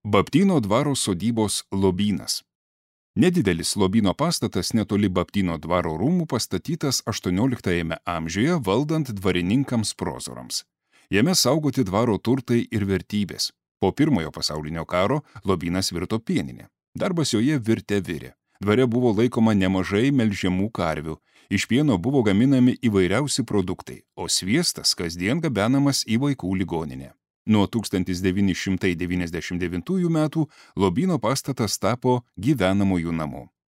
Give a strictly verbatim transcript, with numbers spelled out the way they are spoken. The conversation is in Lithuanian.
Baptyno dvaro sodybos lobynas. Nedidelis lobyno pastatas netoli Baptyno dvaro rūmų pastatytas aštuonioliktajame amžiuje valdant dvarininkams prozorams. Jame saugoti dvaro turtai ir vertybės. Po pirmojo pasaulinio karo lobynas virto pieninė. Darbas joje virte virė. Dvare buvo laikoma nemažai melžiamų karvių. Iš pieno buvo gaminami įvairiausi produktai, o sviestas kasdien gabenamas į vaikų ligoninę. Nuo tūkstantis devyni šimtai devyniasdešimt devintųjų metų lobyno pastatas tapo gyvenamųjų namu.